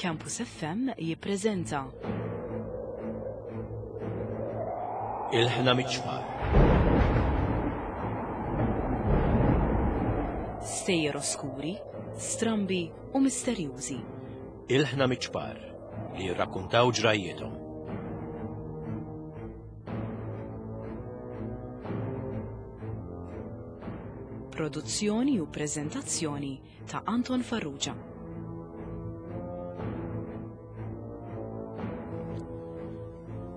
Campus FM jippreżenta. Il-ħna miċ-ċpar. Stejjer oskuri, strambi u misterjużi. Il-ħna miċ-ċpar li jirrakkuntaw ġrajjiethom. Produzzjoni u preżentazzjoni ta' Anton Farrugia.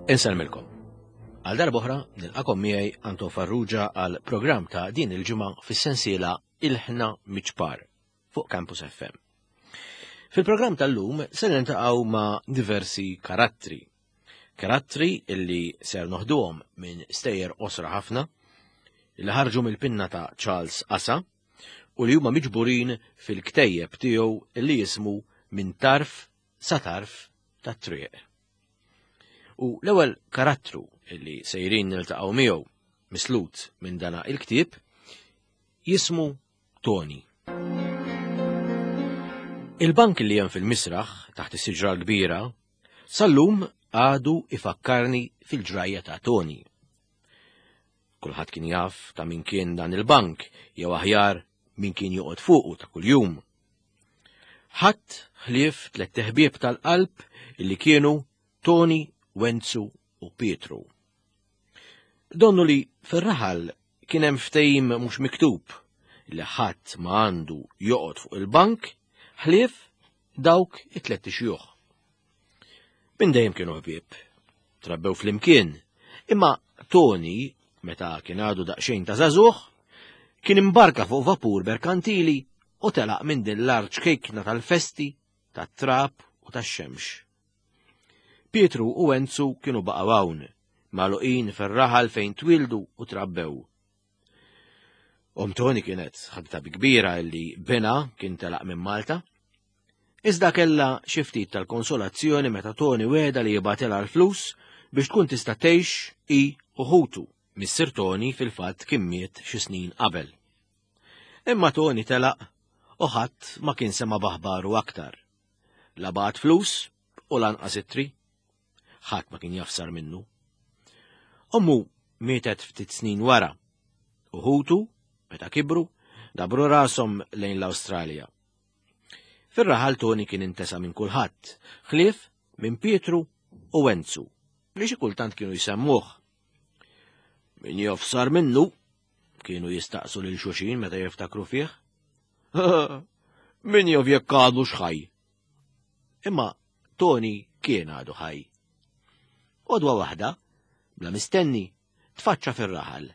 Insellmilkom. Għal darb'oħra nilqakom miegħi Anton Farrugia għal programm ta' din il-ġimgħa fis-sensiela Ilħna Miċpar fuq Campus FM. Fil-programm tal-lum se niltaqgħu ma' diversi karattri. Karattri illi ser noħduhom minn stejjer qosra ħafna li ħarġu mill-pinna ta' Charles Asa u li huma miġburin fil-ktejjeb tiegħu li jismu Minn tarf sa tarf tat-triq. U l-ewwel karattru li sejrin niltaqgħu miegħu mislut minn dana il-ktieb jismu Tony. Il-bank li hemm fil-misraħ taħt is-siġra l-kbira sal-lum għadu ifakkarni fil-ġrajja ta' Tony. Kulħadd kien jaf ta' min kien dan il-bank jew aħjar min kien joqgħod fuqu ta' kuljum. Ħadd ħlief tlett ħbieb tal-qalb illi kienu Tony, Wenzu u Pietru. Donnu li fir-raħal kien hemm ftehim mhux miktub li ħadd ma għandu joqgħod fuq il-bank ħlief dawk it-tlett ixjuħ. Minn dejjem kienu ħbieb, trabbew flimkien, imma Tony, meta kien għadu daqsxejn ta' żagħżugħ, kien imbarka fuq vapur merkantili u telaq minn din l-art ċkejkna tal-festi, tat-trab u tax-xemx. Pietru u Enzu kienu baqgħu hawn, magħluqin fir-raħal fejn twieldu u trabbew. Om Tony kienet ħadta bi kbira illi bina kien telaq minn Malta. Iżda kellha xi ftit tal-konsolazzjoni meta Tony wegħda li jibgħatilha l-flus biex tkun tista' tgħix hi u ħutu. Missier Tony fil-fatt kien miet xi snin qabel. Imma Tony telaq u ħadd ma kien sema' b'aħbaru aktar. La bagħat flus u lanqas ittri. Ħadd ma kien jafsar minnu. Ommu mietet ftit snin wara u ħutu, meta kibru, dabru rashom lejn l-Awstralja. Fir-raħal Tony kien intesa minn kulħadd, ħlief minn Pietru u Enzu, li xi kultant kienu jsemmuh. Min jofsar minnu, kienu jistaqsu lil xulxin meta jiftakru fih. Min jof jekk għadu xħaj. Imma Tony kien għadu ħaj. Għodwa waħda, bla mistenni, tfaċċa fir-raħal.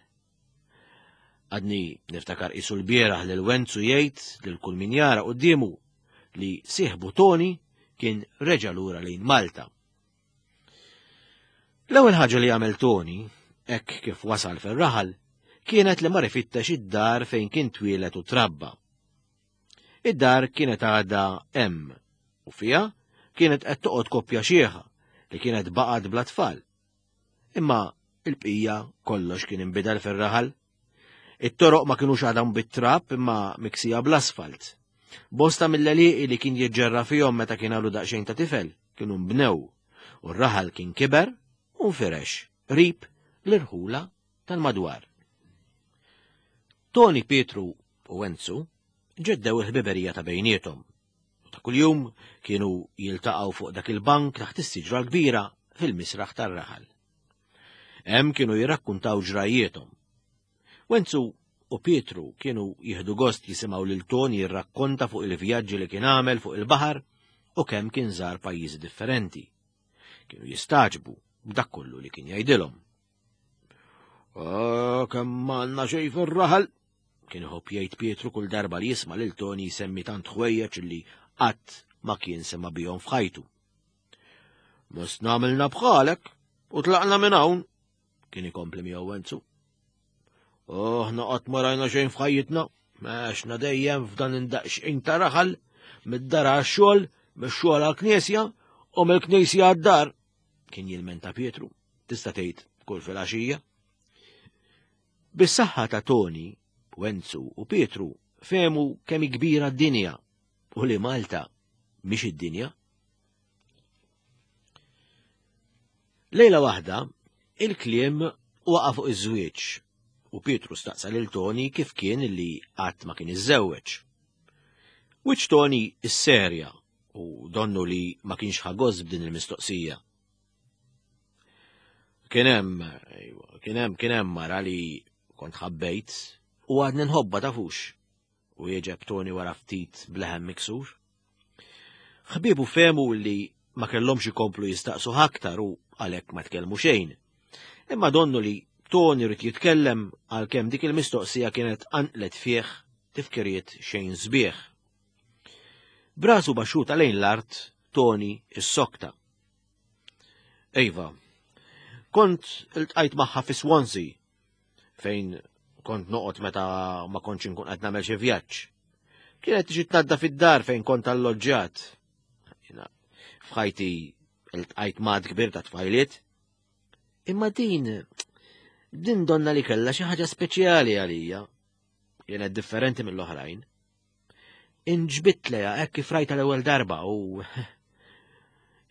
Għadni niftakar qisu l-bieraħ lil Wenzu jgħid lil kull min jara quddiemu li sieħbu Tony kien reġa' lura lejn Malta. L-ewwel ħaġa li għamel Tony, hekk kif wasal fir-raħal, kienet li mar ifittex id-dar fejn kien twieled u trabba. Id-dar kienet għadha hemm u fiha kienet qed toqgħod koppja xieħa li kienet baqgħet bla tfal. Imma il-bqija kollox kien inbidel fir-raħal. It-toroq ma kinux għadhom bit-trab imma miksija bl-asfalt. Bosta mill-għelieqi li kien jiġġerra fihom meta kien għadu daqsxejn ta' tifel kienu nbnew u r-raħal kien kiber u nfirex qrib l-irħula tal-madwar. Toni, Pietru u Enzu ġeddew il-ħbiberija ta' bejniethom u ta' kuljum kienu jiltaqgħu fuq dak il-bank taħt is-siġra l-kbira fil-misraħ tar-raħal. Hemm kienu jirrakkuntaw ġrajjiethom. Wenzu u Pietru kienu jieħdu gost jisimgħu lil Toni jirrakkonta fuq il-vjaġġi li kien għamel fuq il-baħar u kemm kien żar pajjiżi differenti. Kienu jistagħġbu b'dak kollu li kien jgħidilhom. Ah, kemm għandna xejn fir-raħal, kien iħobb jgħid Pietru kull darba li jisma' lil Toni jsemmi tant ħwejjeġ li qatt ma kien sema' bihom f'ħajtu. Mosna għamilna bħalek u tlaqna minn hawn, kien ikompli miegħu Enzu. Aħna qatt ma rajna xejn f'ħajjitna, għaxna dejjem f'dan indaqxin ta' raħal, mid-dar għax-xogħol, mix-xogħol għall-knisja u mill-knisja għad-dar, kien jilmenta Pietru, tista' tgħid kull filgħaxija. Bis-saħħa ta' Toni, Wenzu u Pietru fehmu kemm hi kbira d-dinja u li Malta mhix id-dinja. Lejla waħda, il-kliem waqa' fuq iż-żwieġ u Pietru staqsa lil Toni kif kien li qatt ma kien iżżewweġ. Wiċċ Toni isserja u donnu li ma kienx ħa gost b'din il-mistoqsija. Kien hemm, kien hemm, kien hemm mara li kont ħabbejt u għadni nħobba tafux. Wieġeb Toni wara ftit b'leħen miksur. Ħbiebu fehmu li ma kellhomx ikomplu jistaqsuh aktar u għalhekk ma tkellmu xejn. Imma donnu li Toni rid jitkellem għalkemm dik il-mistoqsija kienet qanqlet fih tifkiriet xejn sbieħ. Brasu baxxuta lejn l-art, Toni issokta. Ejva, kont iltqajt magħha fi Swansea fejn kont noqgħod meta ma kontx inkun qed nagħmel xi vjaġġ. Kienet tiġi tnadda fid-dar fejn kont alloġġjat. F'ħajti iltqajt mad kbir ta' tfajliet. Imma din din donna li kellha xi ħaġa speċjali għalija. Kienet differenti mill-oħrajn. Inġbit leja hekk kif rajta l-ewwel darba u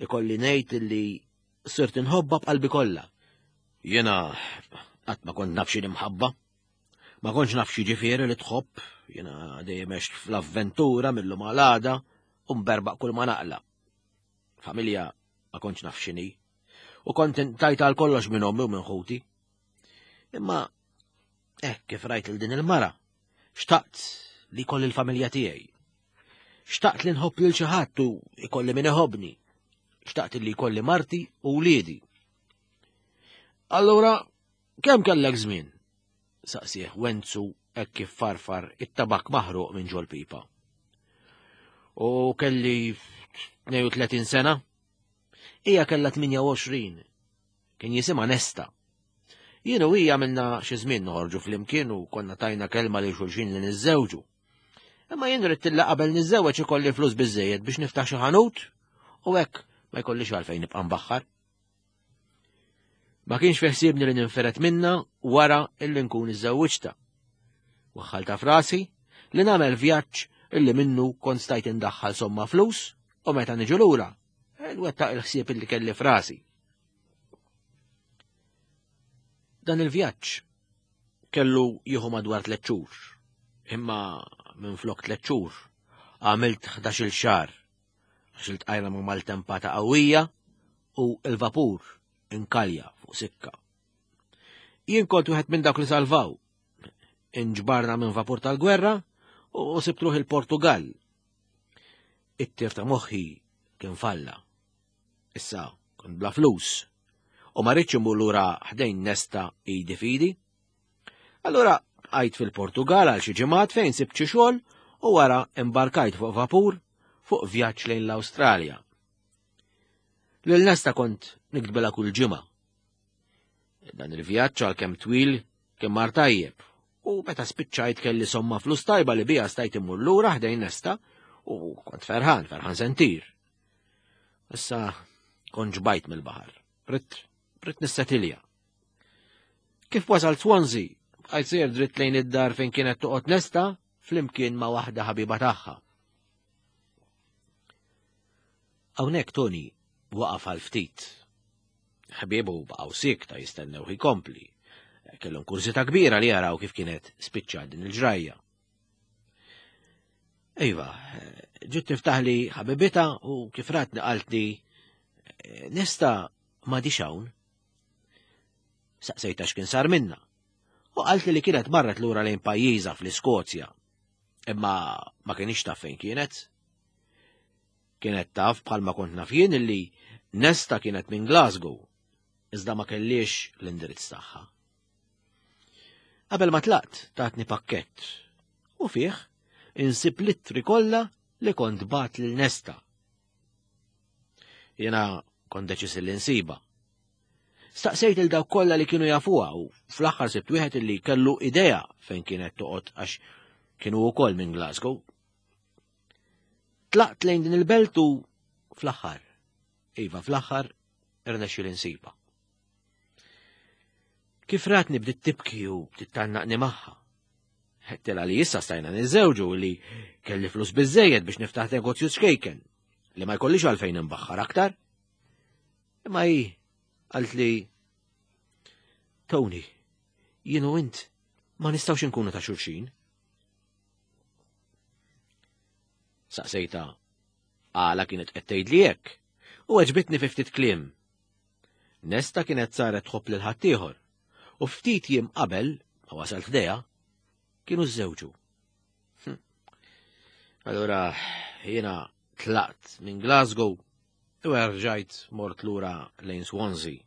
ikolli ngħid li sirt inħobba b'qalbi kollha. Jiena qatt ma kont naf xi mħabba. Ma kontx naf xi ġifieri li tħobb, jiena dejjem għext fl-avventura mill-lum għal għada u mberbaq kull ma naqla. Familja ma kontx naf x'inhi. U kont tajt għal kollox minn ommi u minn ħuti. Imma hekk kif rajt il din il-mara, xtaqt li jkolli l-familja tiegħi. Xtaqt li nħobb lil xi ħadd u jkolli min iħobbni. Xtaqt li jkolli marti u wliedi. Allura, kemm kellek żmien? Saqsih Wenzu hekk kif farfar it-tabak maħruq minn ġol-pipa. U kelli 32 sena? Hija kellha 28. Kien jisimha Nesta. Jien u hija għamilna xi żmien noħorġu flimkien u konna tajna kelma lil xulxin li niżżewġu. Imma jien ridt illa qabel niżżewweġ ikolli flus biżejjed biex niftaħ xi ħanut u hekk ma jkollix għalfejn nibqa' nbaħħar. Ma kienx fi ħsiebni li ninferet minna wara illi nkun iżżewwiġta. Waħħalta frasi li nagħmel vjaġġ illi minnu kont stajt indaħħal somma flus u meta niġu lura, nwettaq il-ħsieb illi kelli frasi. Dan il-vjaġġ kellu jieħu madwar tliet xhur, imma minn flok tliet xhur għamilt 11-il xahar għax iltqajna ma' maltempata qawwija u l-vapur inkalja fuq sikka. Jien kont wieħed minn dawk li salvaw. Inġbarna minn vapur tal-gwerra u sibt ruħi il-Portugal. It-tir ta' moħħi kien falla. Issa kont bla flus u ma rridx imur lura ħdejn nesta idi fidi. Allura bqajt fil-Portugal għal xi ġimgħat fejn sibt xi xogħol u wara imbarkajt fuq vapur fuq vjaġġ lejn l-Awstralja. Lil Nesta kont niktbilha kull ġimgħa. Dan il-vjaġġ għalkemm twil kien mar tajjeb u meta spiċċajt kelli somma flus tajba li bija stajt immur lura ħdejn Nesta u kont ferħan, ferħan sentir. Issa kont ġbajt mill-baħar. Ritt, ritt nissetilja. Kif wasal Swansea, bqajt sejjer dritt lejn id-dar fejn kienet toqgħod Nesta flimkien ma' waħda ħabiba tagħha. Hawnhekk Tony waqaf għal ftit. Ħbiebu baqgħu sikta jistennew jkompli. Kellhom kurżità kbira li jaraw kif kienet spiċċa din il-ġrajja. Iva, ġiet tiftaħli ħabibita u kif ratni qaltli nista ma hawn. Saqsejta x'kien sar minna. U qaltli li kienet marret lura lejn pajjiżha fl-Iskozja. Imma ma kienx taf fejn kienet. Kienet taf bħalma kont naf jien illi Nesta kienet minn Glasgow, iżda ma kellix l-indirizz tagħha. Qabel ma tlaqt tatni pakkett u fih insib l-ittri kollha li kont bat lil Nesta. Jiena kont deċiż li nsiba. Staqsejt il dawk kollha li kienu jafuha u fl-aħħar sibt wieħed li kellu idea fejn kienet toqgħod għax kienu wkoll minn Glasgow. Tlaqt lejn din il-belt u fl-aħħar, iva fl-aħħar irnexxi li nsiba. Kif ratni bdiet tibki u bdiet tgħannaqni magħha. Ħettela li issa stajna niżżewġu li kelli flus biżejjed biex niftaħ negozju ċkejken li ma jkollix għalfejn imbaħħar aktar. Imma hi Qaltli, Tony, jien u int ma nistgħux inkunu ta' xulxin. Saqsejta għala kienet qed tgħidli hekk u għeġbitni fi ftit kliem. Nesta kienet saret tħobb lil ħaddieħor u ftit jiem qabel ma wasalt ħdejha kienu żżewġu. Hm. Allura jiena tlaqt minn Glasgow u erġajt mort lura lejn Swansea.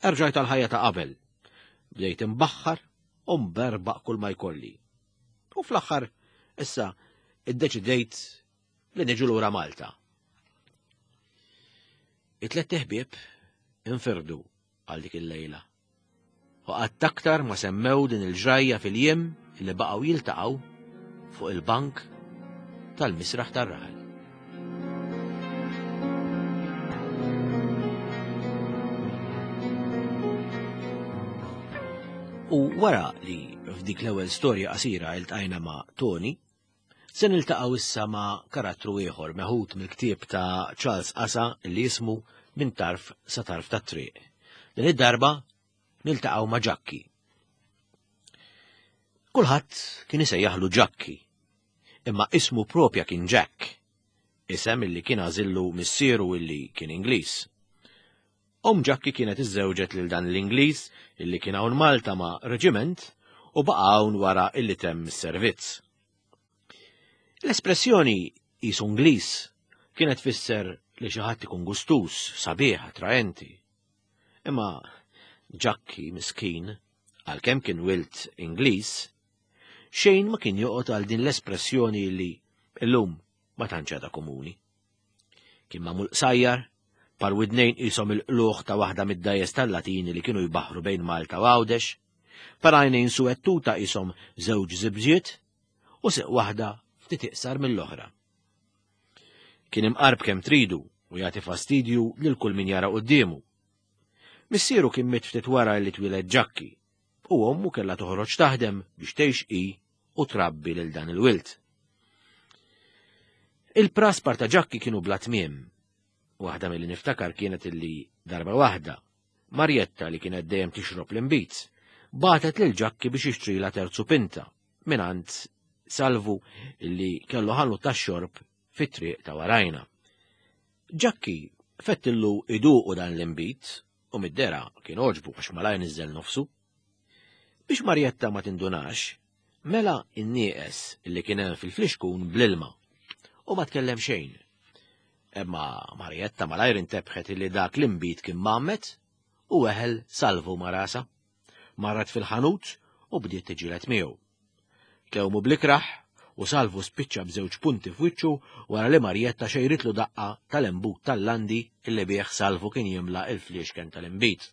Erġajt għal ħajja ta' qabel. Bdejt imbaħħar u mberbaq kull ma jkolli. U fl-aħħar issa iddeċidejt li niġu lura Malta. It-tlett ħbieb infirdu għal dik il-lejla. U qatt aktar ma semmew din il-ġrajja fil-jiem li baqgħu jiltaqgħu fuq il-bank tal-misraħ tar-raħal. U wara li f'dik l-ewwel storja qasira iltqajna ma' Tony, se niltaqgħu issa ma' karattru ieħor meħud mill-ktieb ta' Charles Asa li jismu Minn tarf sa tarf tat-triq. Din id-darba niltaqgħu ma' Ġakki. Kulħadd kien isejjaħlu Ġakki, imma ismu propja kien Jack, isem illi kien għażillu missieru illi kien Ingliż. Omm Ġakki kienet iżżewġet lil dan l-Ingliż illi kien hawn Malta ma' reġiment u baqa' hawn wara illi temm is-servizz. L-espressjoni qisu Ingliż kienet tfisser li xi ħadd ikun gustuż, sabiħ, attraenti. Imma Ġakki miskin, għalkemm kien wild Ingliż, xejn ma kien joqgħod għal din l-espressjoni li llum ma tantx għadha komuni. Kien magħmul qsajjar, par widnejn qishom il-qlugħ ta' waħda mid-dgħajjes tal-Latini li kienu jbaħħru bejn Malta u Għawdex, par għajnejn suwed tuta qishom żewġ żibġiet u siq waħda ftit iqsar mill-oħra. Kien imqarb kemm tridu u jagħti fastidju lil kull min jara quddiemu. Missieru kien miet ftit wara li twieled Ġakki u ommu kellha toħroġ taħdem biex tgħix hi u trabbi lil dan il-wild. Il-praspar ta' Ġakki kienu bla tmiem. Waħda milli niftakar kienet illi darba waħda, Marjetta li kienet dejjem tixrob l-inbid, bagħtet lil Ġakki biex jixtrila terzu pinta mingħand Salvu illi kellu ħanut tax-xorb fit-triq ta' warajna. Ġakki fettillu iduqu dan l-inbid u mid-dera kien għoġbu għax malajr niżel nofsu. Biex Marjetta ma tindunax, mela n-nieqes li kien hemm fil-flixkun bl-ilma u ma tkellem xejn. Imma Marjetta malajr intebħet li dak l-inbid kien mgħammed u weħel Salvu ma' rasha. Marret fil-ħanut u bdiet tiġġieled miegħu. Tlewmu bl-ikrah u Salvu spiċċa b'żewġ punti f'wiċċu wara li Marjetta xejritlu daqqa tal-embut tal-landi li bih Salvu kien jimla l-fliexken tal-inbid.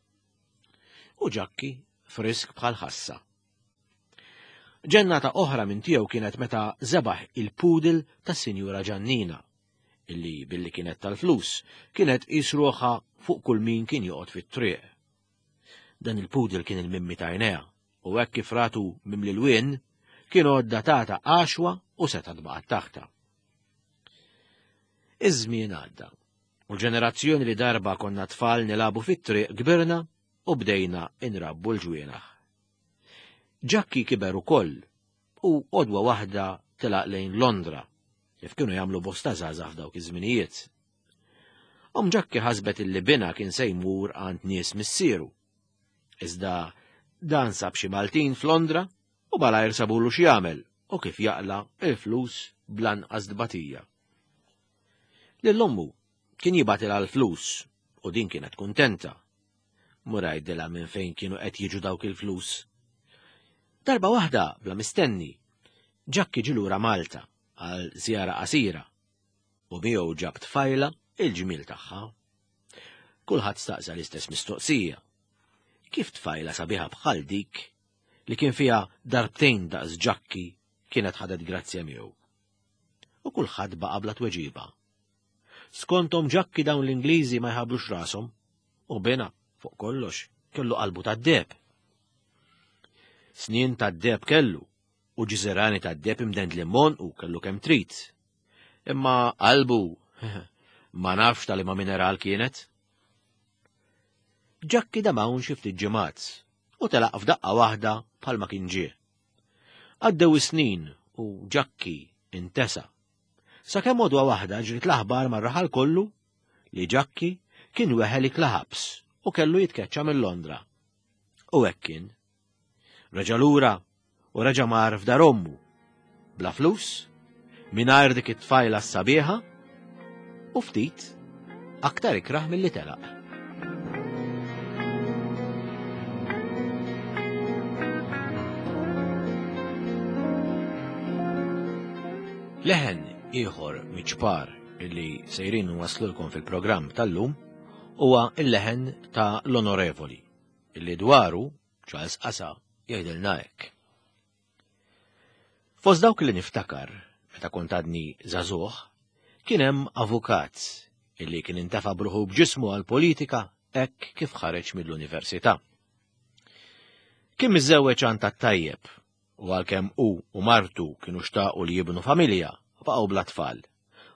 U Ġakki frisk bħal ħassa. Ġennata oħra minn tiegħu kienet meta żebaħ il-poodle tas-Sinjura Ġannina, illi billi kienet tal-flus, kienet tqis ruħha fuq kull min kien joqgħod fit-triq. Dan il-poodle kien il-mimmi ta' għajnejha u hekk kif ratu mimli lwien, kien għodda tata għaxwa u setgħet baqgħet taħtha. Iż-żmien għadda u l-ġenerazzjoni li darba konna tfal nilagħbu fit-triq kbirna u bdejna inrabbu l-ġwienaħ. Ġakki kiber ukoll u għodwa waħda telaq lejn Londra, kif kienu jagħmlu bosta żgħażagħ f'dawk iż-żminijiet. Omm Ġakki ħasbet illi binha kien se jmur għand nies missieru. Iżda dan sab xi Maltin f'Londra u malajr sabulu x'jagħmel u kif jaqla' il-flus bl-anqas tbatija. Lil ommu kien jibgħatilha l-flus u din kienet kuntenta. Mur għidilha minn fejn kienu qed jiġu dawk il-flus. Darba waħda, bla mistenni, Ġakki ġie lura Malta għal żjara qasira u miegħu ġab tfajla il-ġmiel tagħha. Kulħadd staqsa l-istess mistoqsija. Kif tfajla sabiħa bħal dik li kien fiha darbtejn daqs Ġakki kienet ħadet grazzja miegħu? U kulħadd baqa' bla tweġiba. Skonthom Ġakki dawn l-Ingliżi ma jħablux rashom u bina, fuq kollox, kellu qalbu tad-deheb. Snien tad-deheb kellu u ġiżirani tad-deheb imdendlin m'għonqu kellu kemm trid. Imma qalbu ma nafx ta' liema mineral kienet. Ġakki dam hawn xi ftit ġimgħat u telaq f'daqqa waħda bħalma kien ġie. Għaddew is-snin u Ġakki intesa. Sakemm għodwa waħda ġriet l-aħbar mar-raħal kollu li Ġakki kien weħel ikla ħabs u kellu jitkeċċa minn Londra. U hekk kien. Reġa' lura u reġa' mar f'dar ommu. Bla flus, mingħajr dik it-tfajla s-sabiħa u ftit aktar ikrah milli telaq. Leħen ieħor miċ-ċpar li sejrin nwaslulkom fil-programm tal-lum huwa l-leħen ta' l-Onorevoli, illi dwaru Charles Qasa jgħidilna hekk. Fost dawk li niftakar meta kont għadni żagħżugħ, kien hemm avukat illi kien intefa' bruħu b'ġismu għall-politika hekk kif ħareġ mill-università. Kien miżżewweġ għand tat-tajjeb u għalkemm hu u martu kienu xtaqu li jibnu familja, baqgħu bla tfal.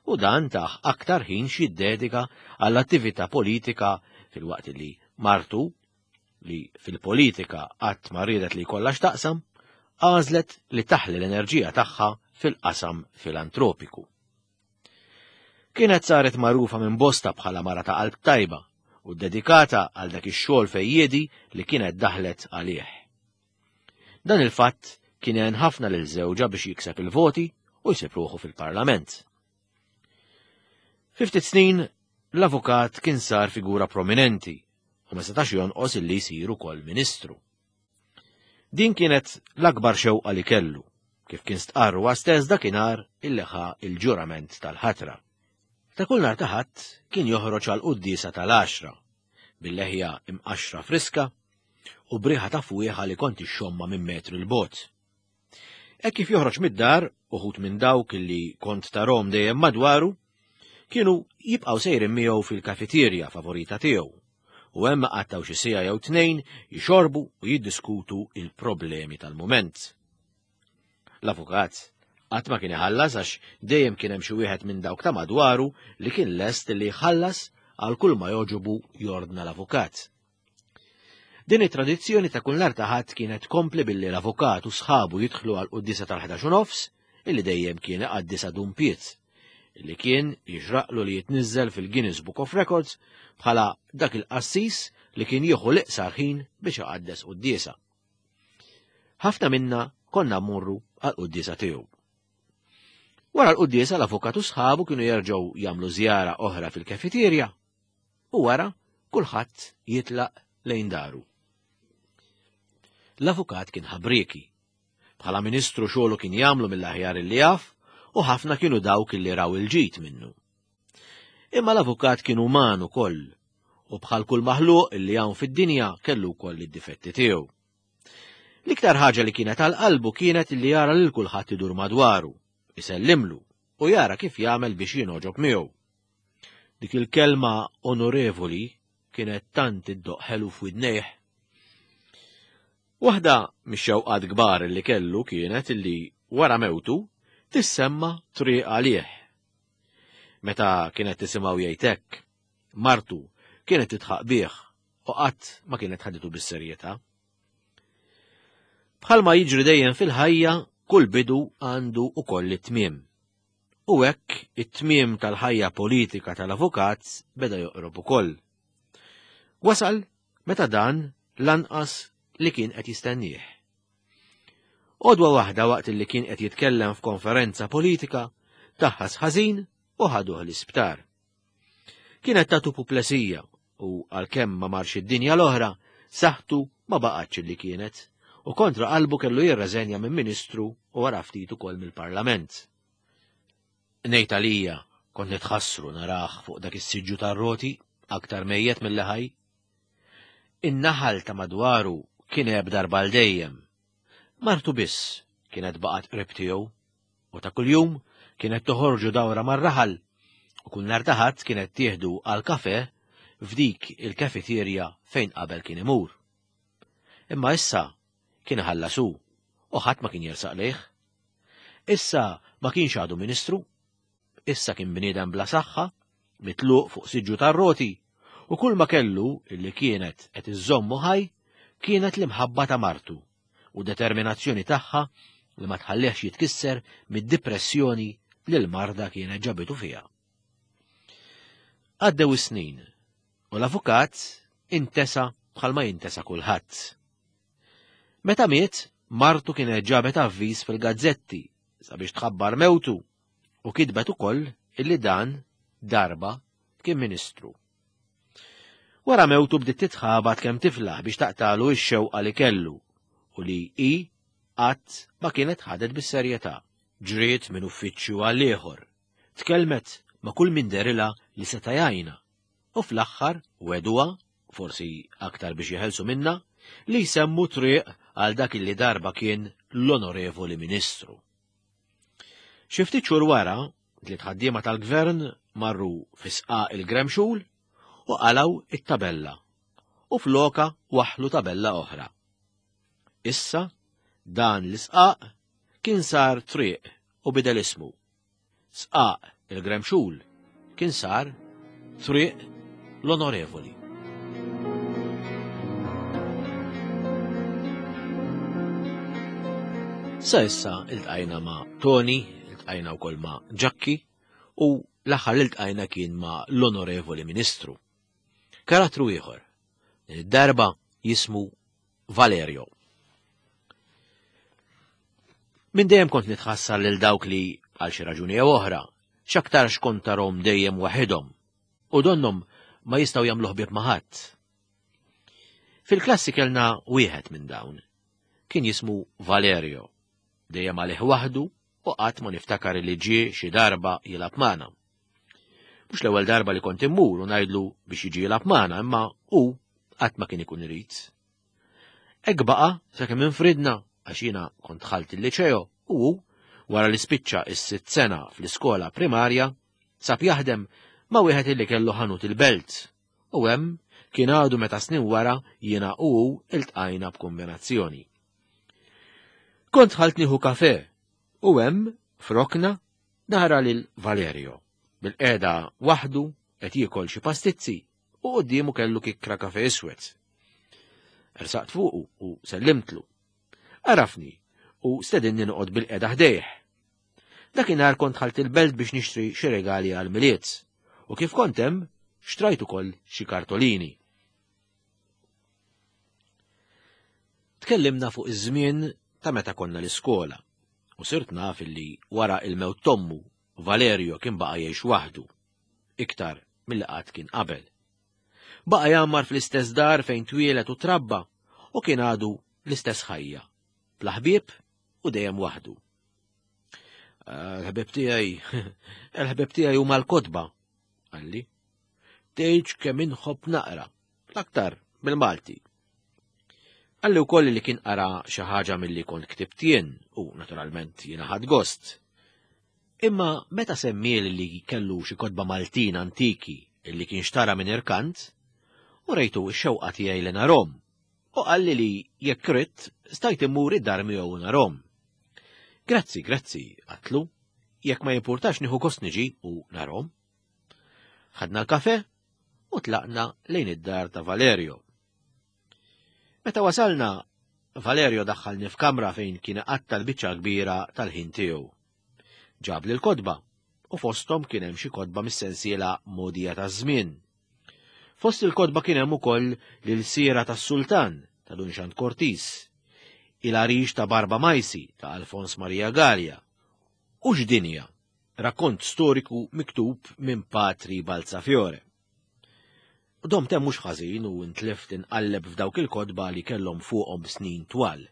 U dan tah aktar ħin x'jiddedika għall-attività politika filwaqt li martu li fil-politika qatt ma riedet li jkollha x'taqsam, għażlet li taħli l-enerġija tagħha fil-qasam filantropiku. Kienet saret magħrufa minn bosta bħala mara ta' qalb tajba u dedikata għal dak ix-xogħol fejjiedi li kienet daħlet għalih. Dan il-fatt kien għen ħafna lil żewġha biex jikseb il-voti u jsib ruħu fil-Parlament. Fi ftit snin, l-avukat kien sar figura prominenti u ma setax jonqos illi jsir ukoll ministru. Din kienet l-akbar xewqa li kellu, kif kien stqarr huwa stess dakinhar illi ħa il-ġurament tal-ħatra. Ta' kull nhar ta' Ħadd kien joħroġ għal quddiesa tal-għaxra, bil-leħja imqaxxra friska u b'riħa ta' fwieħa li kont ixxommha minn metru 'l bogħod. Hekk kif joħroġ mid-dar, uħud minn dawk li kont tarhom dejjem madwaru, kienu jibqgħu sejrin miegħu fil-kafeterja favorita tiegħu u hemm qattgħu xi siegħa jew tnejn jixorbu u jiddiskutu il-problemi tal-mument. L-avukat qatt ma kien iħallas għax dejjem kien hemm xi wieħed minn dawk ta' madwaru li kien lest li jħallas għal kull ma jogħġobu jordna l-avukat. Din it-tradizzjoni ta' kull nhar ta' Ħadd kienet tkompli billi l-avukat u sħabu jidħlu għal quddiesa tal-11 u nofs, illi dejjem kien iqaddisha Dun Piet, illi kien jixraqlu li jitniżżel fil-Guinness Book of Records bħala dak il-qassis li kien jieħu l-iqsar ħin biex iqaddes quddiesa. Ħafna minna konna mmorru għal quddiesa tiegħu. Wara l-quddiesa l-avukat u sħabu kienu jerġgħu jagħmlu żjara oħra fil-kafeterja u wara kulħadd jitlaq lejn daru. L-avukat kien ħabrieki. Bħala ministru xogħlu kien jagħmlu mill-aħjar li jaf u ħafna kienu dawk li raw il-ġid minnu. Imma l-avukat kien uman ukoll u bħal kull maħluq li hawn fid-dinja kellu wkoll id-difetti tiegħu. L-iktar ħaġa li kienet għal qalbu kienet li jara lil kulħadd idur madwaru, isellimlu u jara kif jagħmel biex jingħoġob miegħu. Dik il-kelma onorevoli kienet tant iddoqq ħelu f'widnejh. Waħda mix-xewqat kbar li kellu kienet li wara mewtu tissemma triq għalih. Meta kienet tisimgħu jgħid hekk, martu kienet tidħaq bih u qatt ma kienet ħaditu bis-serjetà. Bħalma jiġri dejjem fil-ħajja, kull bidu għandu ukoll it-tmiem. U hekk it-tmiem tal-ħajja politika tal-avukat beda joqrob ukoll. Wasal meta dan lanqas li kien qed jistennieh. Għodwa waħda waqt li kien qed jitkellem f'konferenza politika, taħħas ħażin u ħaduh l-isptar. Kienet tatu puplesija u għalkemm ma marx id-dinja l-oħra, saħħtu ma baqgħetx li kienet u kontra qalbu kellu jirreżenja minn ministru u wara ftit ukoll mill-Parlament. Ngħid għalija kont nitħassru narah fuq dak is-siġġu tar-roti aktar mejjet milli ħaj. In-naħal ta' madwaru kien għeb darba għal dejjem. Martu biss kienet baqgħet qrib tiegħu u ta' kuljum kienet toħorġu dawra mar-raħal u kull nhar ta' Ħadd kienet tieħdu għal kafe f'dik il-kafeterja fejn qabel kien imur. Imma issa kien iħallas hu u ħadd ma kien jersaq lejh. Issa ma kienx għadu ministru, issa kien bniedem bla saħħa, mitluq fuq siġġu tar-roti. U kull ma kellu illi kienet qed iżżommu ħaj kienet l-imħabba ta' martu u determinazzjoni tagħha li ma tħallihx jitkisser mid-dipressjoni li l-marda kienet ġabitu fiha. Għaddew is-snin u l-avukat intesa bħalma jintesa kulħadd. Meta miet, martu kienet ġabet avviż fil-gazzetti sabiex tħabbar mewtu u kitbet ukoll illi dan darba kien ministru. Wara mewtu bdiet titħabat kemm tiflaħ biex taqtalu x-xewqa li kellu u li hi qatt ma kienet ħadet bis-serjetà. Ġriet minn uffiċċju għal ieħor, tkellmet ma' kull min derilha li seta' jgħinha u fl-aħħar wegħduha, forsi aktar biex jeħelsu minnha, li jsemmu triq għal dak li darba kien l-Onorevoli Ministru. Xi ftit xhur wara, tliet ħaddiema tal-gvern marru fi sqaq il-Gremxul u qalgħu it-tabella u floka waħħlu tabella oħra. Issa dan l-isqaq kien sar triq u bidel ismu. Sqaq il-Gremxul kien sar Triq l-Onorevoli. Sa issa iltqajna ma' Tony, iltqajna wkoll ma' Ġakki u l-aħħar li ltqajna kien ma' l-Onorevoli Ministru. Karattru ieħor, din id-darba jismu Valerio. Minn dejjem kont nitħassar lil dawk li, għal xi raġuni jew oħra, x'aktarx kont tarhom dejjem waħedhom u donnhom ma jistgħu jagħmlu ħbieb ma' ħadd. Fil-klassi kellna wieħed minn dawn. Kien jismu Valerio. Dejjem għalih waħdu u qatt ma niftakar li ġie xi darba jilgħab magħna. Mhux l-ewwel darba li kont immur u ngħidlu biex jiġi jilgħab magħna, imma hu qatt ma kien ikun irid. Hekk baqa' sakemm infridna għax jiena kont dħalt il-liċeo u hu, wara li spiċċa s-sitt sena fl-iskola primarja, sab jaħdem ma' wieħed illi kellu ħanut il-belt u hemm kien għadu meta snin wara jiena u hu iltqajna b'kombinazzjoni. Kont dħalt nieħu kafe u hemm f'rokna nara lil Valerio bil-qiegħda waħdu qed jiekol xi pastizzi u quddiemu kellu kikkra kafe iswed. Ersaqt fuqu u sellimtlu. Għarafni u stedinni noqgħod bil-qiegħda ħdejh. Dakinhar kont ħalt il-belt biex nixtri xi regali għal Milied u kif kont hemm xtrajt ukoll xi kartolini. Tkellimna fuq iż-żmien ta' meta konna l-iskola u sirt naf illi wara il-mewt t'ommu Valerio kien baqa' jgħix waħdu, iktar milli qatt kien qabel. Baqa' jgħammar fl-istess dar fejn twieled u trabba u kien għadu l-istess ħajja, bla ħbieb u dejjem waħdu. Ah, l-ħbieb tiegħi, l-ħbieb tiegħi huma l-kotba, qalli. Tgħidx kemm inħobb naqra, l-aktar bil-Malti. Qalli wkoll li kien qara xi ħaġa milli kont ktibt jien u naturalment jiena ħadt gost. Imma meta semmieli li kellu xi kotba Maltin antiki li kien xtara minn irkant, u rejtu x-xewqa tiegħi li narhom u qalli li jekk ridt stajt immur id-dar miegħu u narhom. Grazzi, grazzi, għatlu, jekk ma jimpurtax nieħu gost niġi u narhom. Ħadna l-kafe u tlaqna lejn id-dar ta' Valerio. Meta wasalna, Valerio daħħalni f'kamra fejn kien iqatta' l-biċċa kbira tal-ħin tiegħu. Ġabli l-kotba u fosthom kien hemm xi kotba mis-sensiela Mogħdija taż-Żmien. Fost il-kotba kien hemm ukoll l-Ilsiera tas-Sultan ta' Dun Xand Cortis, Il-Għarix ta' Barba Majsi ta' Alfons Maria Galea u X'Dinja, rakkont storiku miktub minn Patri Balzafiore. Domt hemm mhux ħażin u ntlift inqalleb f'dawk il-kotba li kellhom fuqhom snin twal.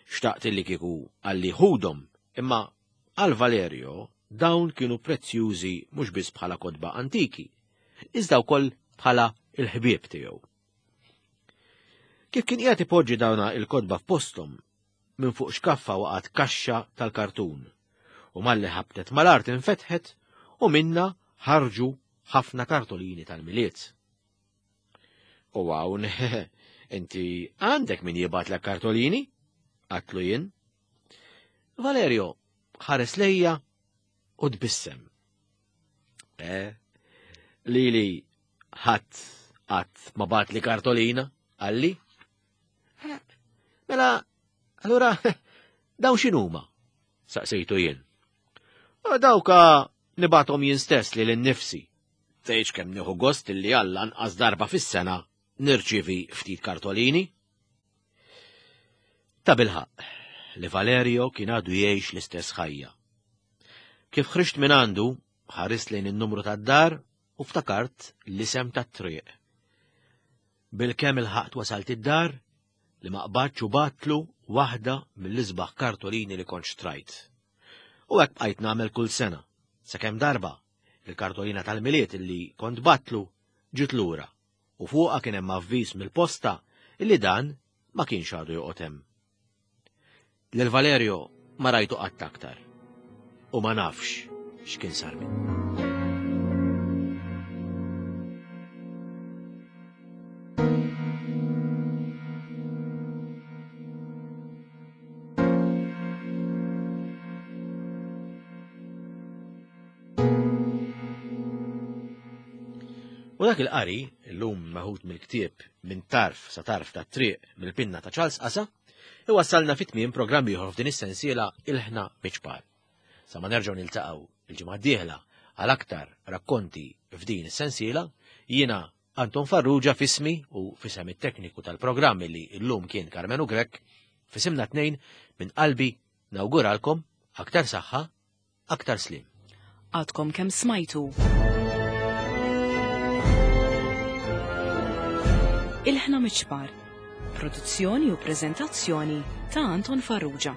Xtaqt li kieku qalli ħudhom, imma għal Valerio dawn kienu prezzjużi mhux biss bħala kotba antiki, iżda wkoll bħala il-ħbieb tiegħu. Kif kien qiegħed ipoġġi dawna il-kotba f'posthom, minn fuq xkaffa waqgħet kaxxa tal-kartun u malli ħabtet mal-art infetħet u minna ħarġu ħafna kartolini tal-Milied. U hawn, inti għandek min jibgħatlek kartolini? Għatlu jien. Valerio ħares lejja u tbissem. Eh, lili. Ħadd qatt ma bagħatli kartolina, qalli. Eh, mela, allura dawn x'inhuma? Saqsejtu jien. Dawka nibatom jien stess li l-nifsi. Tgħidx kemm nieħu gost li għall anqas darba fis-sena nirċievi ftit kartolini. Ta' bilħaq li Valerio kien għadu jgħix l-istess ħajja. Kif ħriġt minn għandu, ħarist lejn in-numru tad-dar u ftakart l-isem tat-triq. Bilkemm ilħaqt wasalt id-dar li ma qbadx u bgħattlu waħda mill-isbaħ kartolini li kont xtrajt. U hekk bqajt nagħmel kull sena, sakemm darba il-kartolina tal-Milied li kont bgħattlu ġiet lura u fuqha kien hemm avviż mill-posta illi dan ma kienx għadu joqgħod hemm. Lil Valerio ma rajtu qatt aktar u ma nafx x'kien sar minnu. U dak il-qari, illum meħud mill-ktieb minn tarf sa tarf ta' triq mill-pinna ta' Charles Qasa, iwassalna fit tmiem programm ieħor f'din is-sensiela Il-Ħna Miċpar. Sa ma nerġgħu niltaqgħu il-ġimgħa d-dieħla għal aktar rakkonti f'din is-sensiela, jiena Anton Farrugia fismi u fisem it-tekniku tal-programm li llum kien Karmenu Grech, fisimna tnejn minn qalbi nawguralkom aktar saħħa Aktar sliem. Għadkom kemm smajtu. Il-ħna miċpar. Produzzjoni u preżentazzjoni ta' Anton Farrugia.